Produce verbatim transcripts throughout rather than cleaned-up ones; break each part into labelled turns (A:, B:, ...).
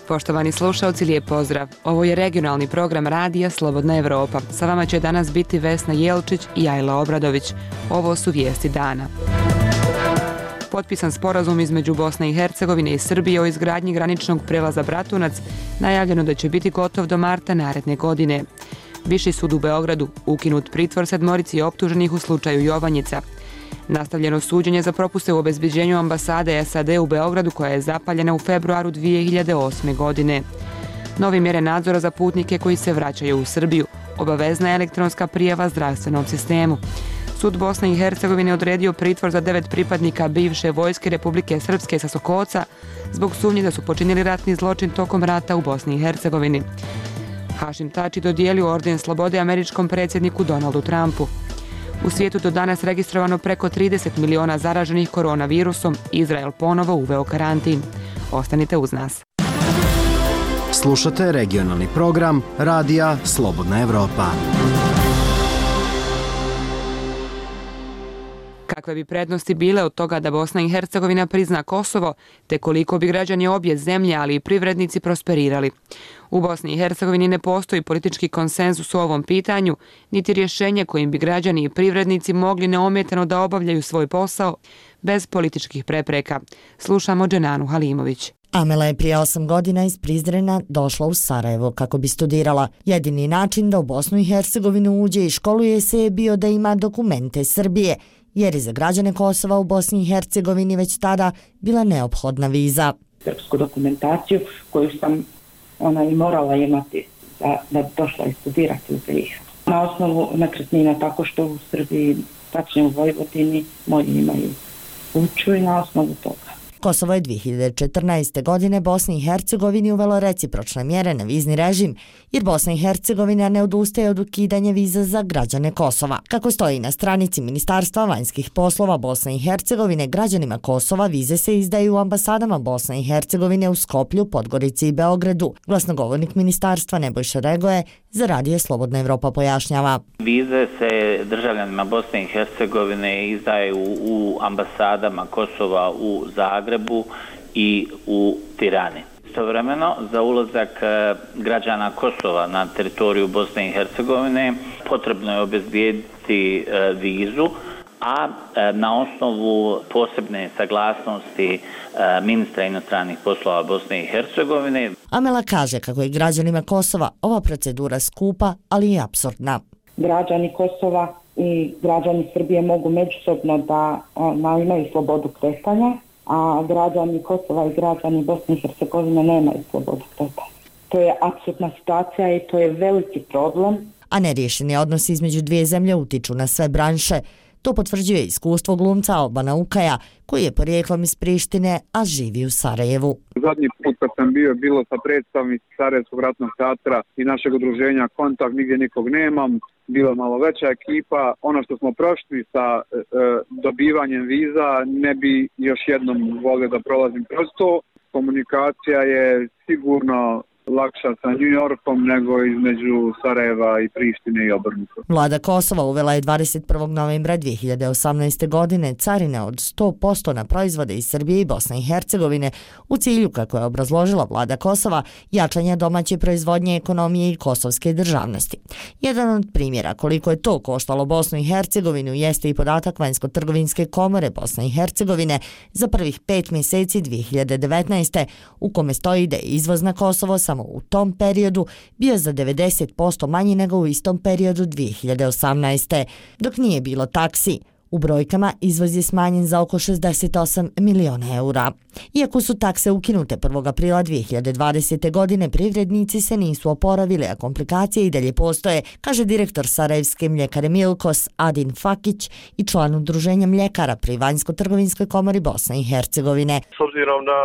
A: Poštovani slušalci, lijep pozdrav. Ovo je regionalni program radija Slobodna Evropa. Sa vama će danas biti Vesna Jelčić i Ajla Obradović. Ovo su vijesti dana. Potpisan sporazum između Bosne i Hercegovine i Srbije o izgradnji graničnog prelaza Bratunac, najavljeno da će biti gotov do marta naredne godine. Viši sud u Beogradu ukinut pritvor sedmorici optuženih u slučaju Jovanjica. Nastavljeno suđenje za propuste u obezbeđenju ambasade S A D u Beogradu koja je zapaljena u februaru dvije hiljade osme. godine. Novi mjere nadzora za putnike koji se vraćaju u Srbiju. Obavezna elektronska prijava zdravstvenom sistemu. Sud Bosne i Hercegovine odredio pritvor za devet pripadnika bivše vojske Republike Srpske sa Sokoca zbog sumnje da su počinili ratni zločin tokom rata u Bosni i Hercegovini. Hašim Tači dodijelio orden slobode američkom predsjedniku Donaldu Trumpu. U svijetu do danas registrovano preko trideset miliona zaraženih koronavirusom, Izrael ponovo uveo karantin. Ostanite uz nas.
B: Slušate regionalni program radija Slobodna Evropa.
A: Kakve bi prednosti bile od toga da Bosna i Hercegovina prizna Kosovo, te koliko bi građani obje zemlje, ali i privrednici prosperirali. U Bosni i Hercegovini ne postoji politički konsenzus u ovom pitanju, niti rješenje kojim bi građani i privrednici mogli neometano da obavljaju svoj posao bez političkih prepreka. Slušamo Dženanu Halimović.
C: Amela je prije osam godina iz Prizrena došla u Sarajevo kako bi studirala. Jedini način da u Bosnu i Hercegovinu uđe i školuje se je bio da ima dokumente Srbije, jer je za građane Kosova u Bosni i Hercegovini već tada bila neophodna viza.
D: Srpsku dokumentaciju koju sam ona i morala imati da, da bi došla i studirati u B i H. Na osnovu nekretnina, tako što u Srbiji, tačnije u Vojvodini, moji imaju kuću i na osnovu toga.
C: Kosovo je dvije hiljade četrnaeste. godine Bosni i Hercegovini uvelo recipročne mjere na vizni režim, jer Bosna i Hercegovina ne odustaje od ukidanja viza za građane Kosova. Kako stoji na stranici Ministarstva vanjskih poslova Bosne i Hercegovine, građanima Kosova vize se izdaju u ambasadama Bosne i Hercegovine u Skoplju, Podgorici i Beogradu. Glasnogovornik ministarstva Nebojša Regoje za Radio Slobodna Evropa pojašnjava.
E: Vize se državljanima Bosne i Hercegovine izdaju u ambasadama Kosova u Zagrebu i u Tirani. Istovremeno, za ulazak građana Kosova na teritoriju Bosne i Hercegovine potrebno je obezbijediti vizu, a na osnovu posebne saglasnosti ministra inostranih poslova Bosne i Hercegovine.
C: Amela kaže kako je građanima Kosova ova procedura skupa, ali i apsurdna.
D: Građani Kosova i građani Srbije mogu međusobno da ona, imaju slobodu kretanja, a građani Kosova i građani Bosne i Hercegovine nemaju slobodu kretanja. To je apsurdna situacija i to je veliki problem.
C: A neriješeni odnosi između dvije zemlje utiču na sve branše. To potvrđuje iskustvo glumca Albana Ukaja, koji je porijeklom iz Prištine, a živi u Sarajevu.
F: Zadnji put kad sam bio, bilo sa predstavnici Sarajevskog ratnog teatra i našeg udruženja Kontakt, nigdje nikog nemam. Bila malo veća ekipa. Ono što smo prošli sa e, dobivanjem viza, ne bi još jednom volio da prolazim kroz to. Komunikacija je sigurno lakša sa New Yorkom nego između Sarajeva i Prištine i obrnuto.
C: Vlada Kosova uvela je dvadeset prvog novembra dvije hiljade osamnaeste. godine carine od sto posto na proizvode iz Srbije i Bosne i Hercegovine u cilju, kako je obrazložila vlada Kosova, jačanja domaće proizvodnje, ekonomije i kosovske državnosti. Jedan od primjera koliko je to koštalo Bosnu i Hercegovinu jeste i podatak Vanjsko-trgovinske komore Bosne i Hercegovine za prvih pet mjeseci dvije hiljade devetnaeste. u kome stoji da je izvoz na Kosovo samo u tom periodu bio za devedeset posto manji nego u istom periodu dvije hiljade osamnaeste. Dok nije bilo taksi, u brojkama izvoz je smanjen za oko šezdeset osam miliona eura. Iako su takse ukinute prvog aprila dvije hiljade dvadesete. godine, privrednici se nisu oporavili, a komplikacije i dalje postoje, kaže direktor Sarajevske mljekare Milkos Adin Fakić i član udruženja mljekara pri Vanjsko-trgovinskoj komori Bosne i Hercegovine.
G: S obzirom na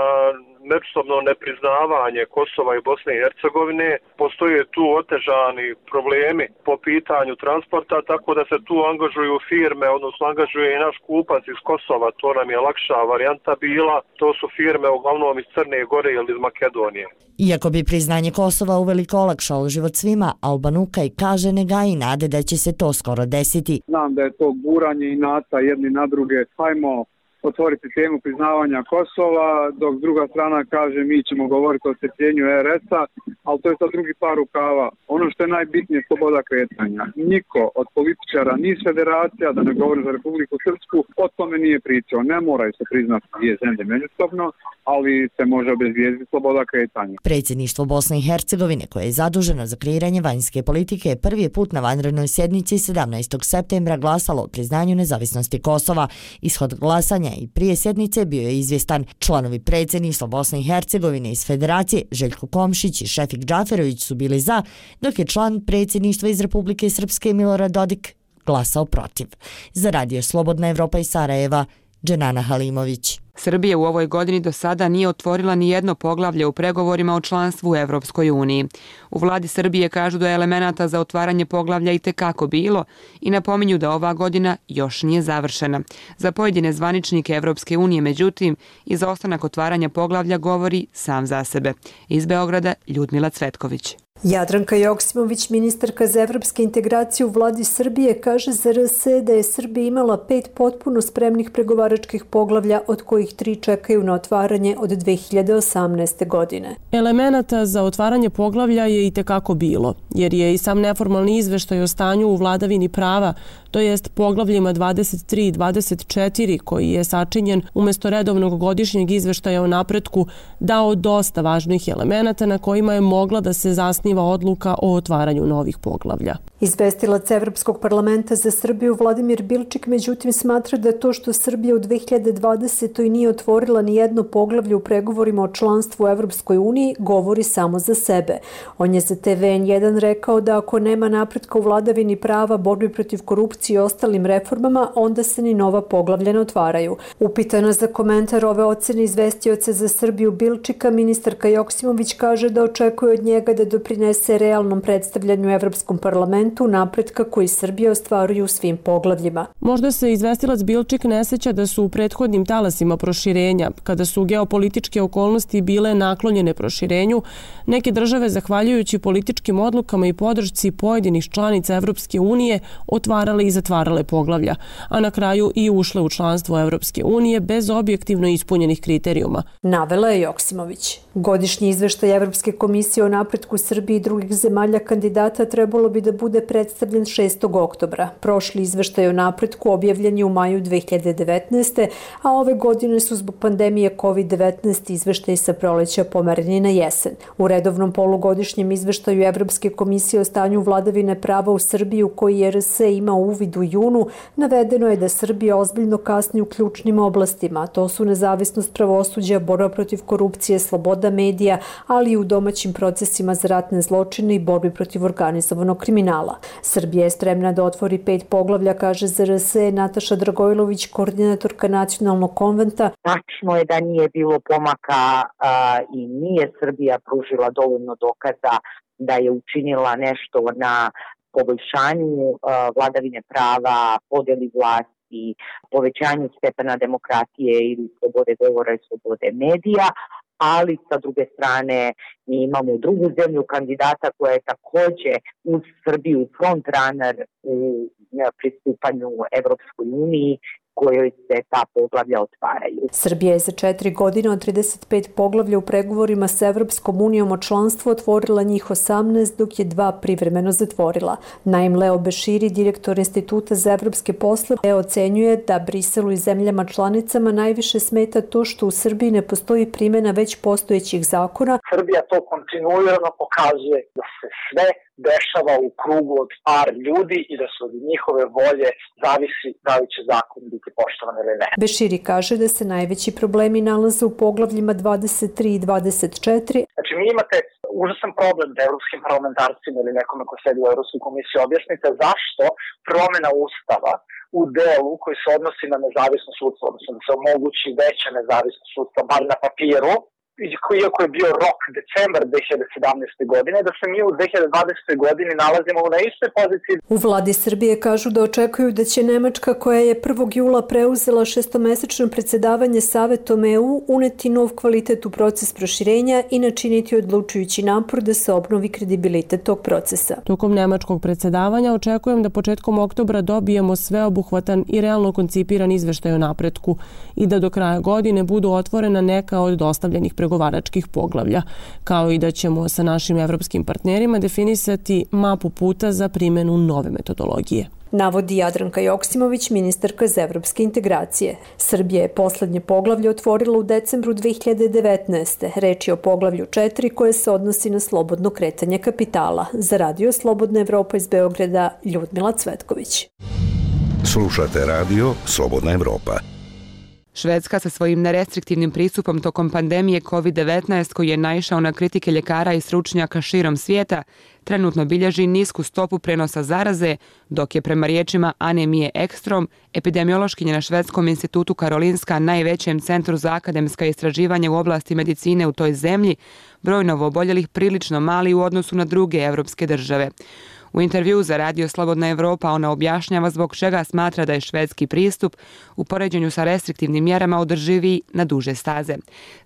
G: međusobno nepriznavanje Kosova i Bosne i Hercegovine. Postoje tu otežani problemi po pitanju transporta, tako da se tu angažuju firme, odnosno angažuje i naš kupac iz Kosova, to nam je lakša varijanta bila. To su firme uglavnom iz Crne Gore ili iz Makedonije.
C: Iako bi priznanje Kosova uveliko olakšalo život svima, Albanukaj kaže ne gaji nade da će se to skoro desiti.
F: Znam da je to guranje i nata jedni na druge. Hajmo otvoriti temu priznavanja Kosova, dok druga strana kaže mi ćemo govoriti o strpljenju er es-a, ali to je sad drugi par rukava. Ono što je najbitnije je sloboda kretanja. Niko od političara, ni federacija, da ne govorim za Republiku Srpsku, o tome nije pričao. Ne moraju se priznati dvije zemlje međusobno, ali se može obezvijezditi sloboda kretanja.
C: Predsjedništvo Bosne i Hercegovine, koje je zaduženo za kreiranje vanjske politike, prvi put na vanrednoj sjednici sedamnaestog septembra glasalo o priznanju nezavisnosti Kosova. Ishod glasanja i prije sjednice bio je izvjestan. Članovi predsjedništva Bosne i Hercegovine iz Federacije Željko Komšić i Šefik Džaferović su bili za, dok je član predsjedništva iz Republike Srpske Milorad Dodik glasao protiv. Za Radio Slobodna Evropa iz Sarajeva, Dženana Halimović.
A: Srbija u ovoj godini do sada nije otvorila ni jedno poglavlje u pregovorima o članstvu u Evropskoj uniji. U vladi Srbije kažu da je elemenata za otvaranje poglavlja i tekako bilo i napominju da ova godina još nije završena. Za pojedine zvaničnike Evropske unije, međutim, izostanak otvaranja poglavlja govori sam za sebe. Iz Beograda Ljudmila Cvetković.
H: Jadranka Joksimović, ministarka za evropske integracije u vladi Srbije, kaže za er es da je Srbija imala pet potpuno spremnih pregovaračkih poglavlja, od kojih tri čekaju na otvaranje od dve hiljade osamnaeste. godine.
I: Elemenata za otvaranje poglavlja je i tekako bilo, jer je i sam neformalni izveštaj o stanju u vladavini prava, to jest poglavljima dvadeset tri i dvadeset četiri, koji je sačinjen umjesto redovnog godišnjeg izveštaja o napretku, dao dosta važnih elemenata na kojima je mogla da se zasniva odluka o otvaranju novih poglavlja.
H: Izvestilac Evropskog parlamenta za Srbiju Vladimir Bilčik međutim smatra da to što Srbija u dve hiljade dvadesetoj nije otvorila ni jedno poglavlje u pregovorima o članstvu u Evropskoj uniji govori samo za sebe. On je za te ve en jedan rekao da ako nema napretka u vladavini prava, borbi protiv korupcije i ostalim reformama, onda se ni nova poglavlja ne otvaraju. Upitana za komentar ove ocene izvestioca za Srbiju Bilčika, ministarka Joksimović kaže da očekuje od njega da doprinese realnom predstavljanju Evropskom parlamentu napretka koji Srbija ostvaruje u svim poglavljima.
I: Možda se izvestilac Bilčik ne seća da su u prethodnim talasima proširenja, kada su geopolitičke okolnosti bile naklonjene proširenju, neke države, zahvaljujući političkim odlukama i podršci pojedinih članica Evropske unije, otvarale i zatvarale poglavlja, a na kraju i ušle u članstvo Evropske unije bez objektivno ispunjenih kriterijuma.
H: Navela je Joksimović. Godišnji izveštaj Evropske komisije o napretku Srbije i drugih zemalja kandidata trebalo bi da bude predstavljen šestog oktobra. Prošli izveštaj o napretku objavljen je u maju dve hiljade devetnaeste. a ove godine su zbog pandemije kovid devetnaest izveštaj sa proleća pomereni na jesen. U redovnom polugodišnjem izveštaju Evropske komisije o stanju vladavine prava u Srbiji, u koji je er es ima uvid u junu, navedeno je da Srbija ozbiljno kasni u ključnim oblastima, a to su nezavisnost pravosuđa, borba protiv korupcije, sloboda medija, ali i u domaćim procesima za ratne zločine i borbi protiv organizovanog kriminala. Srbija je spremna da otvori pet poglavlja, kaže za er es Nataša Dragojlović, koordinatorka nacionalnog konventa.
J: Tačno je da nije bilo pomaka a, i nije Srbija pružila dovoljno dokaza da je učinila nešto na poboljšanju a, vladavine prava, podeli vlasti, povećanju stepena demokratije ili slobode govora i slobode medija, ali sa druge strane mi imamo drugu zemlju kandidata koja je također uz Srbiju frontrunner u pristupanju Evropskoj uniji, kojoj se ta poglavlja otvaraju.
H: Srbija je za četiri godine od trideset pet poglavlja u pregovorima sa Evropskom unijom o članstvu otvorila njih osamnaest, dok je dva privremeno zatvorila. Naim Leo Beširi, direktor Instituta za evropske poslove, ocenjuje da Briselu i zemljama članicama najviše smeta to što u Srbiji ne postoji primjena već postojećih zakona.
K: Srbija to kontinuirano pokazuje da se sve dešava u krugu od par ljudi i da se od njihove volje zavisi da li će zakon biti poštovan ili ne.
H: Beširi kaže da se najveći problemi nalaze u poglavljima dvadeset tri i dvadeset četiri.
K: Znači mi imate užasan problem da evropskim parlamentarcima ili nekome ko sedi u Evropskoj komisiji objasnite zašto promjena ustava u delu koji se odnosi na nezavisno sudstvo, odnosno da se omogući veća nezavisno sudstvo, bar na papiru, iako je bio rok decembar dve hiljade sedamnaeste. godine, da se mi u dve hiljade dvadesetoj. godini nalazimo na istoj poziciji.
H: U vladi Srbije kažu da očekuju da će Nemačka, koja je prvog jula preuzela šestomesečno predsjedavanje Savetom E U, uneti nov kvalitet u proces proširenja i načiniti odlučujući napor da se obnovi kredibilitet tog procesa.
I: Tokom nemačkog predsjedavanja očekujem da početkom oktobra dobijemo sveobuhvatan i realno koncipiran izveštaj o napretku i da do kraja godine budu otvorena neka od dostavljenih pregovaračkih poglavlja, kao i da ćemo sa našim evropskim partnerima definisati mapu puta za primjenu nove metodologije.
H: Navodi Jadranka Joksimović, ministarka za evropske integracije. Srbija je poslednje poglavlje otvorila u decembru dve hiljade devetnaeste. Reč je o poglavlju četiri koje se odnosi na slobodno kretanje kapitala. Za Radio Slobodna Evropa iz Beograda, Ljudmila Cvetković.
L: Slušate radio Slobodna Evropa.
A: Švedska sa svojim nerestriktivnim pristupom tokom pandemije kovid devetnaest, koji je naišao na kritike ljekara i stručnjaka širom svijeta, trenutno bilježi nisku stopu prenosa zaraze, dok je prema riječima Ane Mije Ekstrom, epidemiološkinje na Švedskom institutu Karolinska, najvećem centru za akademska istraživanja u oblasti medicine u toj zemlji, broj novooboljelih prilično mali u odnosu na druge evropske države. U intervjuu za Radio Slobodna Evropa ona objašnjava zbog čega smatra da je švedski pristup u poređenju sa restriktivnim mjerama održiviji na duže staze.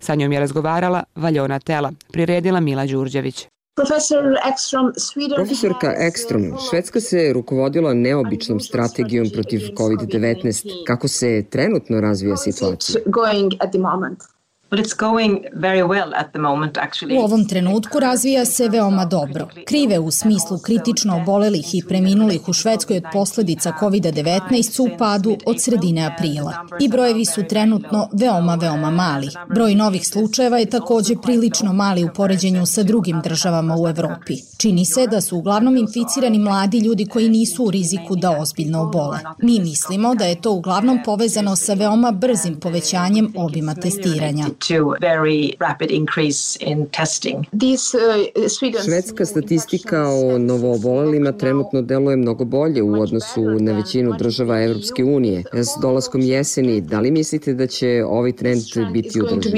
A: Sa njom je razgovarala Valjona Tela, priredila Mila Đurđević.
M: Profesorka Ekstrom, Švedska se rukovodila neobičnom strategijom protiv kovid devetnaest. Kako se trenutno razvija situacija?
N: U ovom trenutku razvija se veoma dobro. Krive u smislu kritično obolelih i preminulih u Švedskoj od posljedica kovid devetnaest su u padu od sredine aprila. I brojevi su trenutno veoma, veoma mali. Broj novih slučajeva je također prilično mali u poređenju sa drugim državama u Evropi. Čini se da su uglavnom inficirani mladi ljudi koji nisu u riziku da ozbiljno obole. Mi mislimo da je to uglavnom povezano sa veoma brzim povećanjem obima testiranja.
M: Švedska statistika o novoobolelima trenutno deluje mnogo bolje u odnosu na većinu država Evropske unije. S dolaskom jeseni, da li mislite da će ovaj trend biti održiv?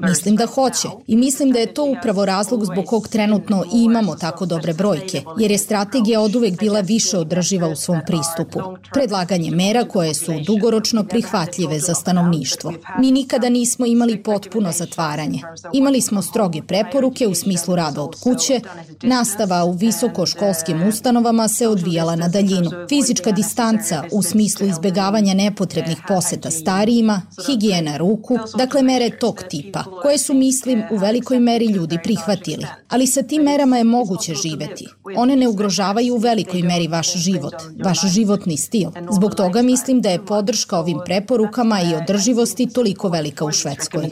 N: Mislim da hoće i mislim da je to upravo razlog zbog kog trenutno i imamo tako dobre brojke, jer je strategija oduvek bila više održiva u svom pristupu. Predlaganje mera koje su dugoročno prihvatljive za stanovništvo. Mi nikada nismo imali potpuno zatvaranje. Imali smo stroge preporuke u smislu rada od kuće, nastava u visokoškolskim ustanovama se odvijala na daljinu. Fizička distanca u smislu izbjegavanja nepotrebnih poseta starijima, higijena ruku, dakle mere tog tipa, koje su, mislim, u velikoj meri ljudi prihvatili. Ali sa tim merama je moguće živeti. One ne ugrožavaju u velikoj meri vaš život, vaš životni stil. Zbog toga mislim da je podrška ovim preporukama i održivosti toliko velika u Švedskoj.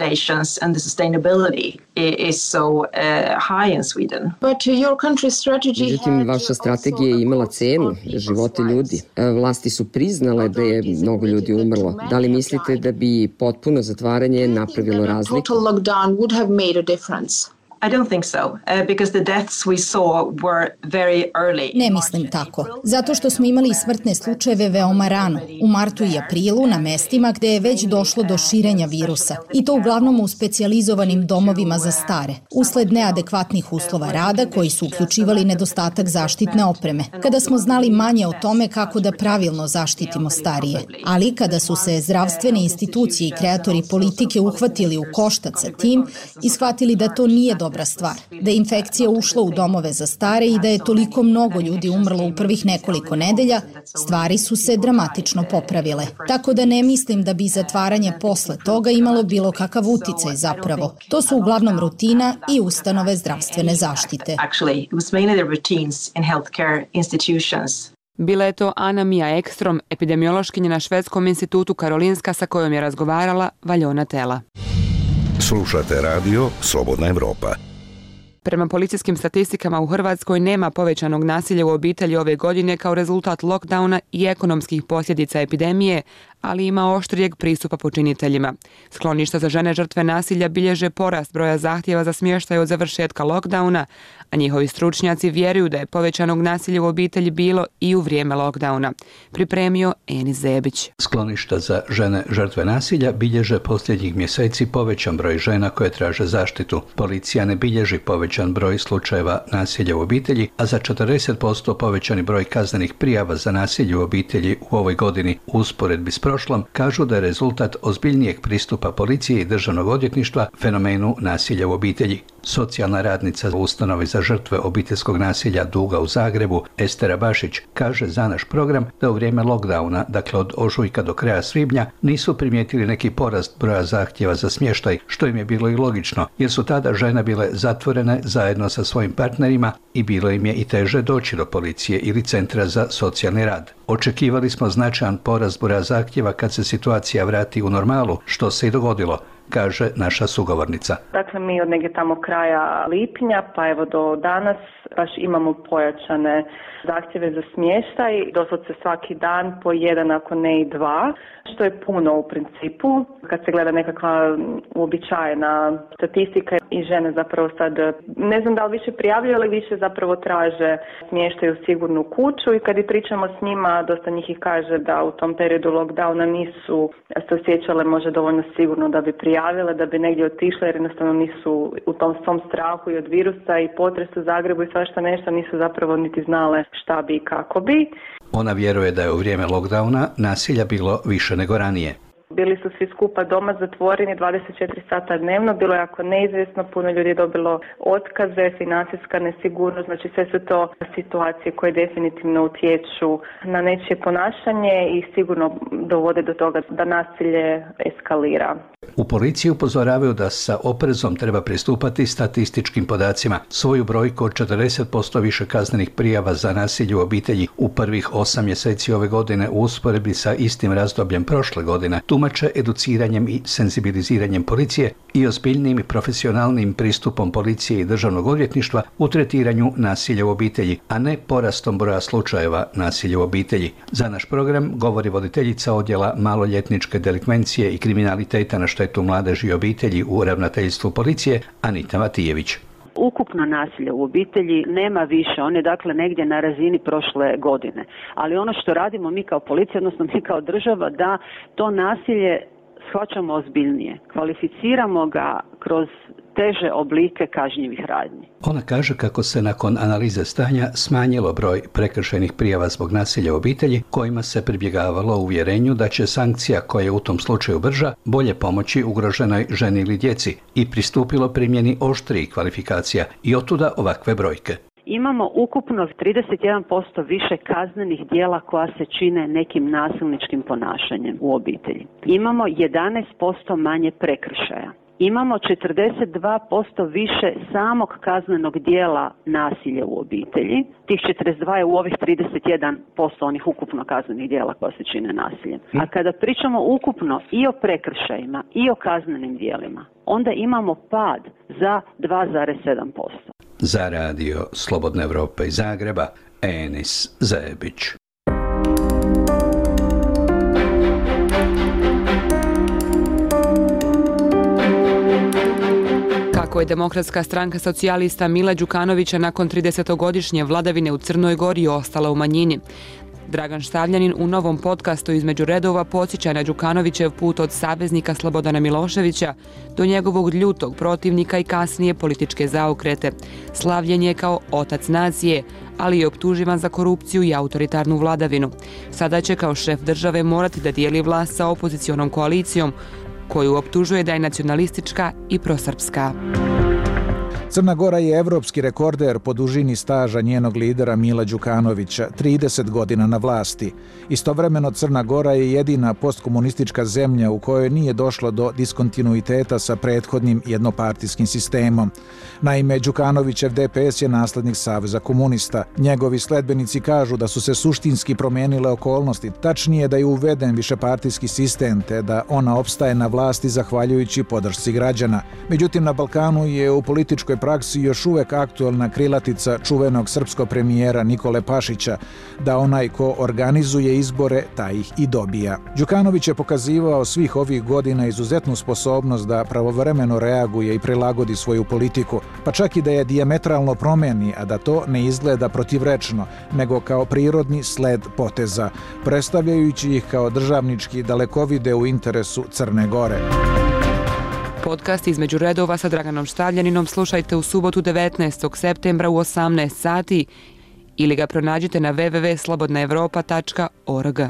M: Međutim, vaša strategija je imala cenu, živote ljudi. Vlasti su priznale da je mnogo ljudi umrlo. Da li mislite da bi potpuno zatvaranje napravilo razliku?
N: Ne mislim tako, zato što smo imali smrtne slučajeve veoma rano, u martu i aprilu na mestima gde je već došlo do širenja virusa, i to uglavnom u specijalizovanim domovima za stare, usled neadekvatnih uslova rada koji su uključivali nedostatak zaštitne opreme, kada smo znali manje o tome kako da pravilno zaštitimo starije. Ali kada su se zdravstvene institucije i kreatori politike uhvatili u koštac sa tim i shvatili da to nije dobra stvar, da je infekcija ušla u domove za stare i da je toliko mnogo ljudi umrlo u prvih nekoliko nedelja, stvari su se dramatično popravile. Tako da ne mislim da bi zatvaranje posle toga imalo bilo kakav uticaj zapravo. To su uglavnom rutina i ustanove zdravstvene zaštite.
A: Bila je to Ana Mija Ekstrom, epidemiološkinja na Švedskom institutu Karolinska, sa kojom je razgovarala Valjona Tela.
L: Slušate radio Slobodna Evropa.
A: Prema policijskim statistikama u Hrvatskoj nema povećanog nasilja u obitelji ove godine kao rezultat lockdowna i ekonomskih posljedica epidemije, ali ima oštrijeg pristupa počiniteljima. Skloništa za žene žrtve nasilja bilježe porast broja zahtjeva za smještaj od završetka lockdowna, a njihovi stručnjaci vjeruju da je povećanog nasilja u obitelji bilo i u vrijeme lockdowna. Pripremio Enis Zebić.
O: Skloništa za žene žrtve nasilja bilježe posljednjih mjeseci povećan broj žena koje traže zaštitu. Policija ne bilježi povećan broj slučajeva nasilja u obitelji, a za četrdeset posto povećani broj kaznenih prijava za nasilje u obitelji u ovoj godini u usporedbi s prošlom kažu da je rezultat ozbiljnijeg pristupa policije i državnog odvjetništva fenomenu nasilja u obitelji. Socijalna radnica u ustanovi za žrtve obiteljskog nasilja Duga u Zagrebu, Estera Bašić, kaže za naš program da u vrijeme lockdowna, dakle od ožujka do kraja svibnja, nisu primijetili neki porast broja zahtjeva za smještaj, što im je bilo i logično, jer su tada žene bile zatvorene zajedno sa svojim partnerima i bilo im je i teže doći do policije ili centra za socijalni rad. Očekivali smo značajan porast broja zahtjeva kad se situacija vrati u normalu, što se i dogodilo, kaže naša sugovornica.
P: Dakle, mi od negdje tamo kraja lipnja pa evo do danas baš imamo pojačane zahtjeve za smještaj, doslovce svaki dan po jedan, ako ne i dva, što je puno u principu. Kad se gleda nekakva uobičajena statistika i žene zapravo sad, ne znam da li više prijavljuju, ali više zapravo traže smještaj u sigurnu kuću i kad i pričamo s njima, dosta njih ih kaže da u tom periodu lockdowna nisu se osjećale možda dovoljno sigurno da bi prijavile, da bi negdje otišle jer jednostavno nisu u tom svom strahu i od virusa i potresu u Zagrebu i svašta nešto, nisu zapravo niti znale šta bi i kako bi.
O: Ona vjeruje da je u vrijeme lockdowna nasilja bilo više nego ranije.
P: Bili su svi skupa doma zatvoreni dvadeset četiri sata dnevno, bilo je jako neizvjesno, puno ljudi je dobilo otkaze, financijska nesigurnost, znači sve su to situacije koje definitivno utječu na nečije ponašanje i sigurno dovode do toga da nasilje eskalira.
O: U policiji upozoravaju da sa oprezom treba pristupati statističkim podacima. Svoju brojku od četrdeset posto više kaznenih prijava za nasilje u obitelji u prvih osam mjeseci ove godine u usporedbi sa istim razdobljem prošle godine tumače educiranjem i senzibiliziranjem policije i ozbiljnim i profesionalnim pristupom policije i državnog odvjetništva u tretiranju nasilja u obitelji, a ne porastom broja slučajeva nasilja u obitelji. Za naš program govori voditeljica odjela maloljetničke delikvencije i kriminaliteta na štetu mladeži i obitelji u ravnateljstvu policije Anita Matijević.
Q: Ukupno nasilje u obitelji nema više, on je dakle negdje na razini prošle godine. Ali ono što radimo mi kao policija, odnosno mi kao država, da to nasilje shvaćamo ozbiljnije. Kvalificiramo ga kroz teže oblike kažnjivih radnji.
O: Ona kaže kako se nakon analize stanja smanjilo broj prekršajnih prijava zbog nasilja u obitelji, kojima se pribjegavalo u uvjerenju da će sankcija koja je u tom slučaju brža bolje pomoći ugroženoj ženi ili djeci i pristupilo primjeni oštrijih kvalifikacija i otuda ovakve brojke.
Q: Imamo ukupno trideset jedan posto više kaznenih djela koja se čine nekim nasilničkim ponašanjem u obitelji. Imamo jedanaest posto manje prekršaja. Imamo četrdeset dva posto više samog kaznenog dijela nasilja u obitelji. Tih četrdeset dva je u ovih trideset jedan posto onih ukupno kaznenih dijela koja se čine nasiljem. A kada pričamo ukupno i o prekršajima i o kaznenim dijelima, onda imamo pad za dva zarez sedam posto.
O: Za radio Slobodne Evrope iz Zagreba, Enis Zebić.
A: Kako je Demokratska stranka socijalista Mila Đukanovića nakon tridesetogodišnje vladavine u Crnoj Gori ostala u manjini. Dragan Štavljanin u novom podcastu Između redova podsjeća na Đukanovićev put od saveznika Slobodana Miloševića do njegovog ljutog protivnika i kasnije političke zaokrete. Slavljen je kao otac nacije, ali je optuživan za korupciju i autoritarnu vladavinu. Sada će kao šef države morati da dijeli vlast sa opozicionom koalicijom, koju optužuje da je nacionalistička i prosrpska.
R: Crna Gora je evropski rekorder po dužini staža njenog lidera Mila Đukanovića, trideset godina na vlasti. Istovremeno Crna Gora je jedina postkomunistička zemlja u kojoj nije došlo do diskontinuiteta sa prethodnim jednopartijskim sistemom. Naime, Đukanovićev D P S je naslednik Saveza komunista. Njegovi sledbenici kažu da su se suštinski promijenile okolnosti, tačnije da je uveden višepartijski sistem te da ona opstaje na vlasti zahvaljujući podršci građana. Međutim, na Balkanu je u političkoj praksi još uvek aktuelna krilatica čuvenog srpskog premijera Nikole Pašića, da onaj ko organizuje izbore, taj ih i dobija. Đukanović je pokazivao svih ovih godina izuzetnu sposobnost da pravovremeno reaguje i prilagodi svoju politiku, pa čak i da je dijametralno promeni, a da to ne izgleda protivrečno, nego kao prirodni sled poteza, predstavljajući ih kao državnički dalekovide u interesu Crne Gore.
A: Podcast Između redova sa Draganom Štavljaninom slušajte u subotu devetnaestog septembra u osamnaest sati ili ga pronađite na w w w tačka slobodna evropa tačka org.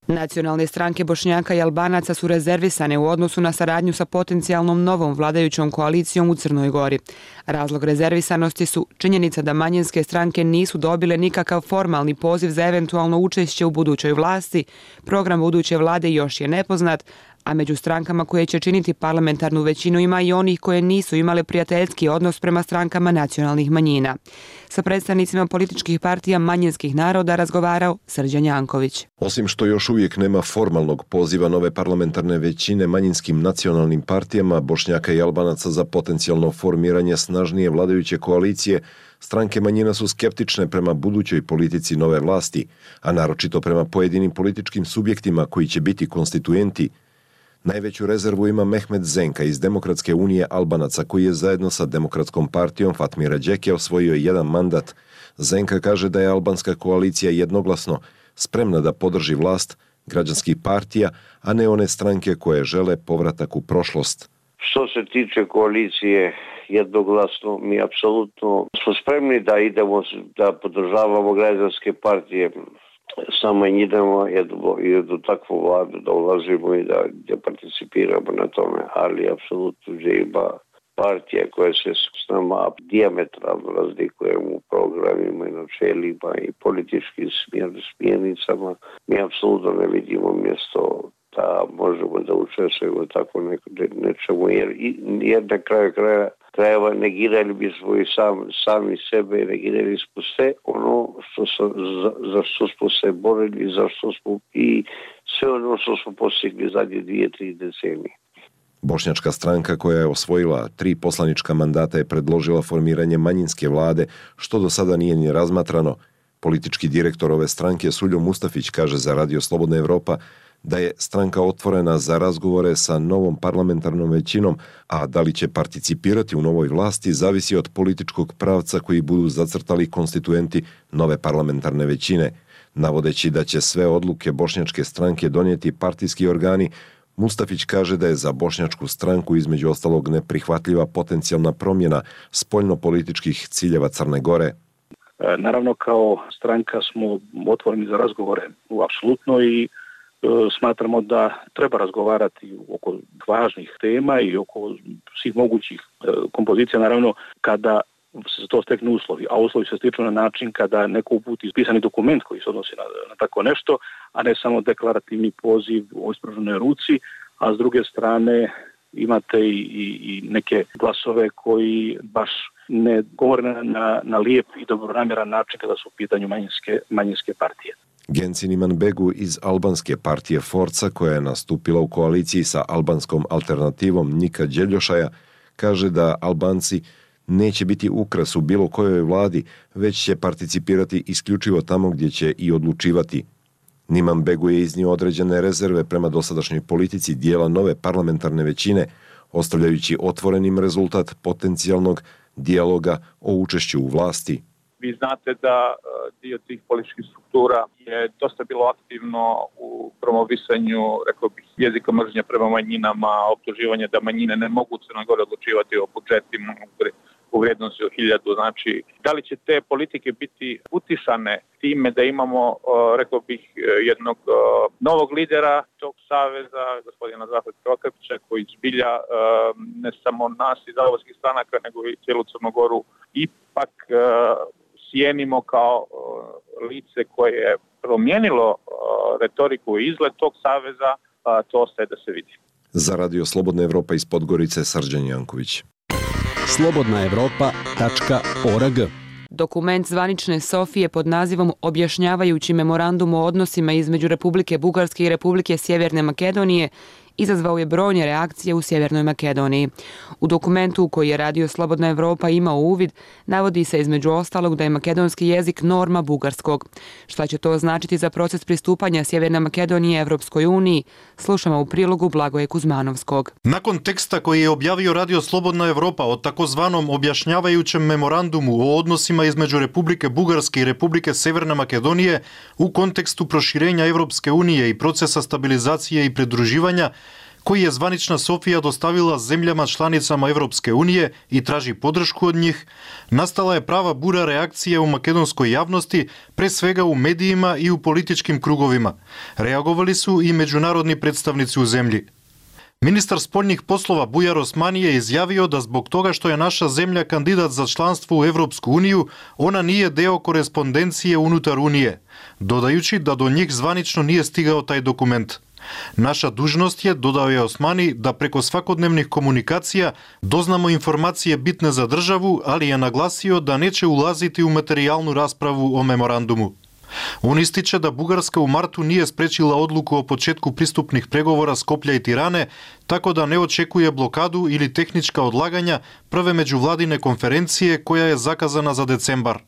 A: Nacionalne stranke Bošnjaka i Albanaca su rezervisane u odnosu na saradnju sa potencijalnom novom vladajućom koalicijom u Crnoj Gori. Razlog rezervisanosti su činjenica da manjinske stranke nisu dobile nikakav formalni poziv za eventualno učešće u budućoj vlasti, program buduće vlade još je nepoznat, a među strankama koje će činiti parlamentarnu većinu ima i onih koje nisu imale prijateljski odnos prema strankama nacionalnih manjina. Sa predstavnicima političkih partija manjinskih naroda razgovarao Srđan Janković.
S: Osim što još uvijek nema formalnog poziva nove parlamentarne većine manjinskim nacionalnim partijama Bošnjaka i Albanaca za potencijalno formiranje snažnije vladajuće koalicije, stranke manjina su skeptične prema budućoj politici nove vlasti, a naročito prema pojedinim političkim subjektima koji će biti konstituenti. Najveću rezervu ima Mehmet Zenka iz Demokratske unije Albanaca, koji je zajedno sa Demokratskom partijom Fatmira Đeke osvojio jedan mandat. Zenka kaže da je albanska koalicija jednoglasno spremna da podrži vlast građanskih partija, a ne one stranke koje žele povratak u prošlost.
T: Što se tiče koalicije jednoglasno, mi apsolutno smo spremni da idemo, da podržavamo građanske partije. Samo idemo i do takvu vladu da ulazimo i da, da participiramo na tome, ali apsolutno ima partija koja se s nama dijametralno razlikujemo u programima i načelima i političkim smjernicama. Mi apsolutno ne vidimo mjesto da možemo da učestvujemo tako nečemu, jer, jer na kraju kraja krajeva negirali bismo i sam, sami sebe i negirali smo sve ono što so, za, za što smo se borili, za što smo i sve ono što smo postigli zadnje dvije, tri decenije.
S: Bošnjačka stranka koja je osvojila tri poslanička mandata je predložila formiranje manjinske vlade, što do sada nije ni razmatrano. Politički direktor ove stranke Suljo Mustafić kaže za Radio Slobodna Evropa da je stranka otvorena za razgovore sa novom parlamentarnom većinom, a da li će participirati u novoj vlasti zavisi od političkog pravca koji budu zacrtali konstituenti nove parlamentarne većine. Navodeći da će sve odluke bošnjačke stranke donijeti partijski organi, Mustafić kaže da je za bošnjačku stranku između ostalog neprihvatljiva potencijalna promjena spoljno-političkih ciljeva Crne Gore.
U: Naravno, kao stranka smo otvoreni za razgovore u apsolutno i smatramo da treba razgovarati oko važnih tema i oko svih mogućih kompozicija, naravno kada se to steknu uslovi, a uslovi se stiču na način kada neko uputi pisani dokument koji se odnosi na, na tako nešto, a ne samo deklarativni poziv o ispruženoj ruci, a s druge strane imate i, i, i neke glasove koji baš ne govore na, na, na lijep i dobronamjeran način kada su u pitanju manjinske, manjinske partije.
S: Gencin Imanbegu iz albanske partije Forca, koja je nastupila u koaliciji sa albanskom alternativom Nika Đeljošaja, kaže da Albanci neće biti ukras u bilo kojoj vladi, već će participirati isključivo tamo gdje će i odlučivati. Imanbegu je iznio određene rezerve prema dosadašnjoj politici dijela nove parlamentarne većine, ostavljajući otvorenim rezultat potencijalnog dijaloga o učešću u vlasti.
V: Vi znate da dio tih političkih struktura je dosta bilo aktivno u promovisanju, rekao bih, jezika mržnja prema manjinama, optuživanje da manjine ne mogu Crnoj Gori odlučivati o budžetima u vrijednosti od hiljadu. Znači, da li će te politike biti utišane time da imamo, rekao bih, jednog novog lidera tog saveza, gospodina Zahvalka Okapića, koji zbilja ne samo nas iz albanskih stranaka, nego i cijelu Crnu Goru ipak cijenimo kao lice koje je promijenilo retoriku i izgled tog saveza, to ostaje da se vidi.
S: Za Radio Slobodna Evropa iz Podgorice, Srđan Janković.
B: slobodna evropa tačka org
A: Dokument zvanične Sofije pod nazivom Objašnjavajući memorandum o odnosima između Republike Bugarske i Republike Sjeverne Makedonije izazvao je brojne reakcije u Sjevernoj Makedoniji. U dokumentu u koji je Radio Slobodna Evropa imao uvid, navodi se između ostalog da je makedonski jezik norma bugarskog. Šta će to značiti za proces pristupanja Sjeverne Makedonije Evropskoj uniji? Slušamo u prilogu Blagoje Kuzmanovskog.
D: Nakon teksta koji je objavio Radio Slobodna Evropa o takozvanom objašnjavajućem memorandumu o odnosima između Republike Bugarske i Republike Severne Makedonije u kontekstu proširenja Evropske unije i procesa stabilizacije i pridruživanja, koji je zvanična Sofija dostavila zemljama članicama Evropske unije i traži podršku od njih, nastala je prava bura reakcije u makedonskoj javnosti, pre svega u medijima i u političkim krugovima. Reagovali su i međunarodni predstavnici u zemlji. Ministar spoljnih poslova Bujar Osmani je izjavio da zbog toga što je naša zemlja kandidat za članstvo u Evropsku uniju, ona nije deo korespondencije unutar Unije, dodajući da do njih zvanično nije stigao taj dokument. Naša dužnost je, dodao je Osmani, da preko svakodnevnih komunikacija doznamo informacije bitne za državu, ali je naglasio da neće ulaziti u materijalnu raspravu o memorandumu. On ističe da Bugarska u martu nije sprečila odluku o početku pristupnih pregovora Skoplja i Tirane, tako da ne očekuje blokadu ili tehnička odlaganja prve međuvladine konferencije koja je zakazana za decembar.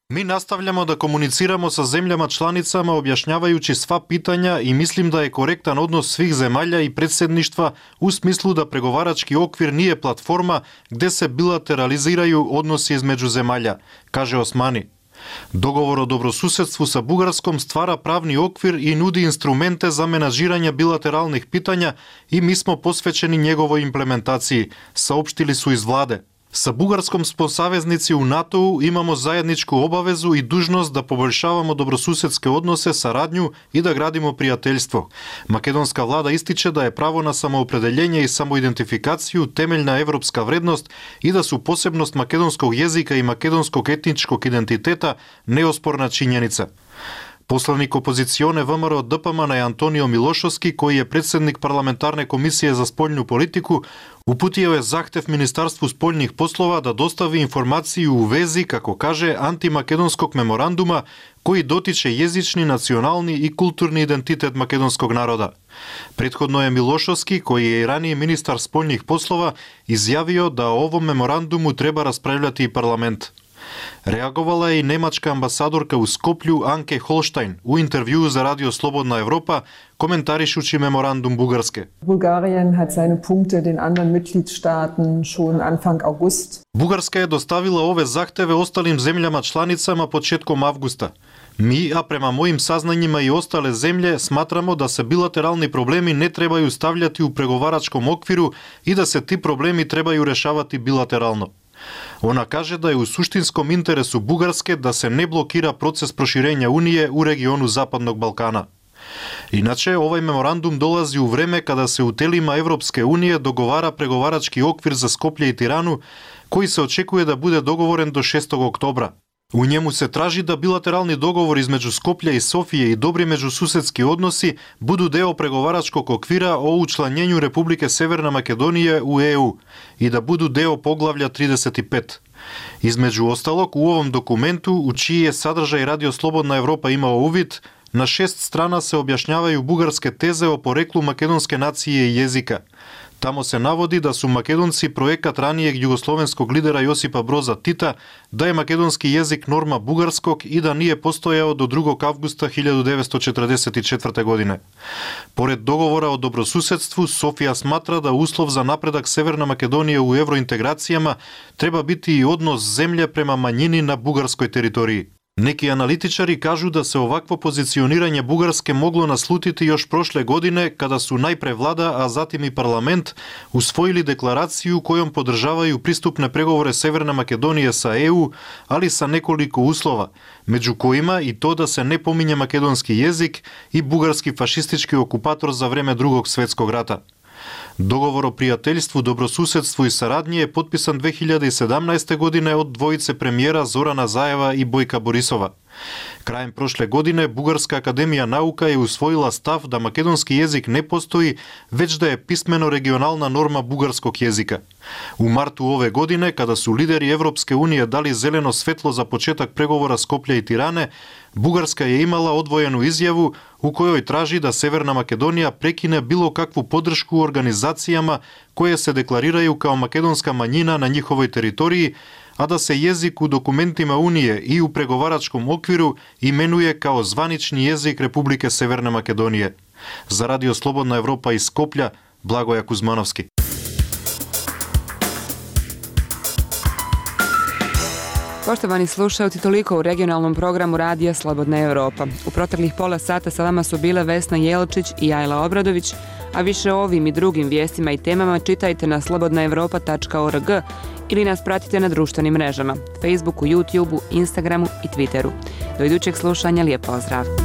D: Mi nastavljamo da komuniciramo sa zemljama članicama objašnjavajući sva pitanja i mislim da je korektan odnos svih zemalja i predsjedništva u smislu da pregovarački okvir nije platforma gde se bilateraliziraju odnosi između zemalja, kaže Osmani. Dogovor o dobrosusedstvu sa Bugarskom stvara pravni okvir i nudi instrumente za menažiranje bilateralnih pitanja i mi smo posvećeni njegovoj implementaciji, saopštili su iz vlade. Sa Bugarskom smo saveznici u NATO-u, imamo zajedničku obavezu i dužnost da poboljšavamo dobrosusedske odnose, saradnju i da gradimo prijateljstvo. Makedonska vlada ističe da je pravo na samoopredeljenje i samoidentifikaciju temeljna evropska vrednost i da su posebnost makedonskog jezika i makedonskog etničkog identiteta neosporna činjenica. Poslanik opozicione V M R O D P M N je Antonio Milošovski, koji je predsjednik parlamentarne komisije za spoljnu politiku, uputio je zahtev Ministarstvu spoljnih poslova da dostavi informaciju u vezi, kako kaže, antimakedonskog memoranduma koji dotiče jezični, nacionalni i kulturni identitet makedonskog naroda. Prethodno je Milošovski, koji je i ranije ministar spoljnih poslova, izjavio da o ovom memorandumu treba raspravljati i parlament. Reagovala je i nemačka ambasadorka u Skoplju Anke Holstein u intervjuu za Radio Slobodna Evropa, komentarišući memorandum Bugarske.
E: Bulgarien hat seine Punkte den anderen Mitgliedstaaten schon Anfang August.
D: Bugarska je dostavila ove zahteve ostalim zemljama članicama početkom avgusta. Mi, a prema mojim saznanjima i ostale zemlje, smatramo da se bilateralni problemi ne trebaju stavljati u pregovaračkom okviru i da se ti problemi trebaju rešavati bilateralno. Ona kaže da je u suštinskom interesu Bugarske da se ne blokira proces proširenja Unije u regionu Zapadnog Balkana. Inače, ovaj memorandum dolazi u vreme kada se u telima Evropske unije dogovara pregovarački okvir za Skoplje i Tiranu, koji se očekuje da bude dogovoren do šestog oktobra. U njemu se traži da bilateralni dogovor između Skoplja i Sofije i dobri međususedski odnosi budu deo pregovaračkog okvira o učlanjenju Republike Severna Makedonije u E U i da budu deo poglavlja trideset pet. Između ostalog, u ovom dokumentu, u čiji je sadržaj Radio Slobodna Evropa imao uvid, na šest strana se objašnjavaju bugarske teze o poreklu makedonske nacije i jezika. Tamo se navodi da su Makedonci projekat ranijeg jugoslovenskog lidera Josipa Broza Tita, da je makedonski jezik norma bugarskog i da nije postojao do drugog avgusta hiljadu devetsto četrdeset četvrte. godine. Pored dogovora o dobrosusedstvu, Sofija smatra da uslov za napredak Severne Makedonije u evrointegracijama treba biti i odnos zemlje prema manjini na bugarskoj teritoriji. Neki analitičari kažu da se ovakvo pozicioniranje Bugarske moglo naslutiti još prošle godine kada su najpre vlada, a zatim i parlament usvojili deklaraciju kojom podržavaju pristupne pregovore Severne Makedonije sa E U, ali sa nekoliko uslova, među kojima i to da se ne pominje makedonski jezik i bugarski fašistički okupator za vreme Drugog svjetskog rata. Dogovor o prijateljstvu, dobrosusedstvu i saradnji je potpisan dve hiljade sedamnaeste. godine od dvojice premijera Zorana Zajeva i Bojka Borisova. Krajem prošle godine Bugarska akademija nauka je usvojila stav da makedonski jezik ne postoji, već da je pismeno regionalna norma bugarskog jezika. U martu ove godine, kada su lideri Evropske unije dali zeleno svetlo za početak pregovora Skoplja i Tirane, Bugarska je imala odvojenu izjavu u kojoj traži da Severna Makedonija prekine bilo kakvu podršku organizacijama koje se deklariraju kao makedonska manjina na njihovoj teritoriji, a da se jezik u dokumentima Unije i u pregovaračkom okviru imenuje kao zvanični jezik Republike Severne Makedonije. Za Radio Slobodna Evropa iz Skoplja, Blagoja Kuzmanovski.
A: Poštovani slušalci, toliko u regionalnom programu Radija Slobodna Evropa. U proteklih pola sata sa vama su bile Vesna Jelčić i Ajla Obradović, a više o ovim i drugim vijestima i temama čitajte na slobodna evropa tačka org ili nas pratite na društvenim mrežama, Facebooku, YouTubeu, Instagramu i Twitteru. Do idućeg slušanja, lijep pozdrav!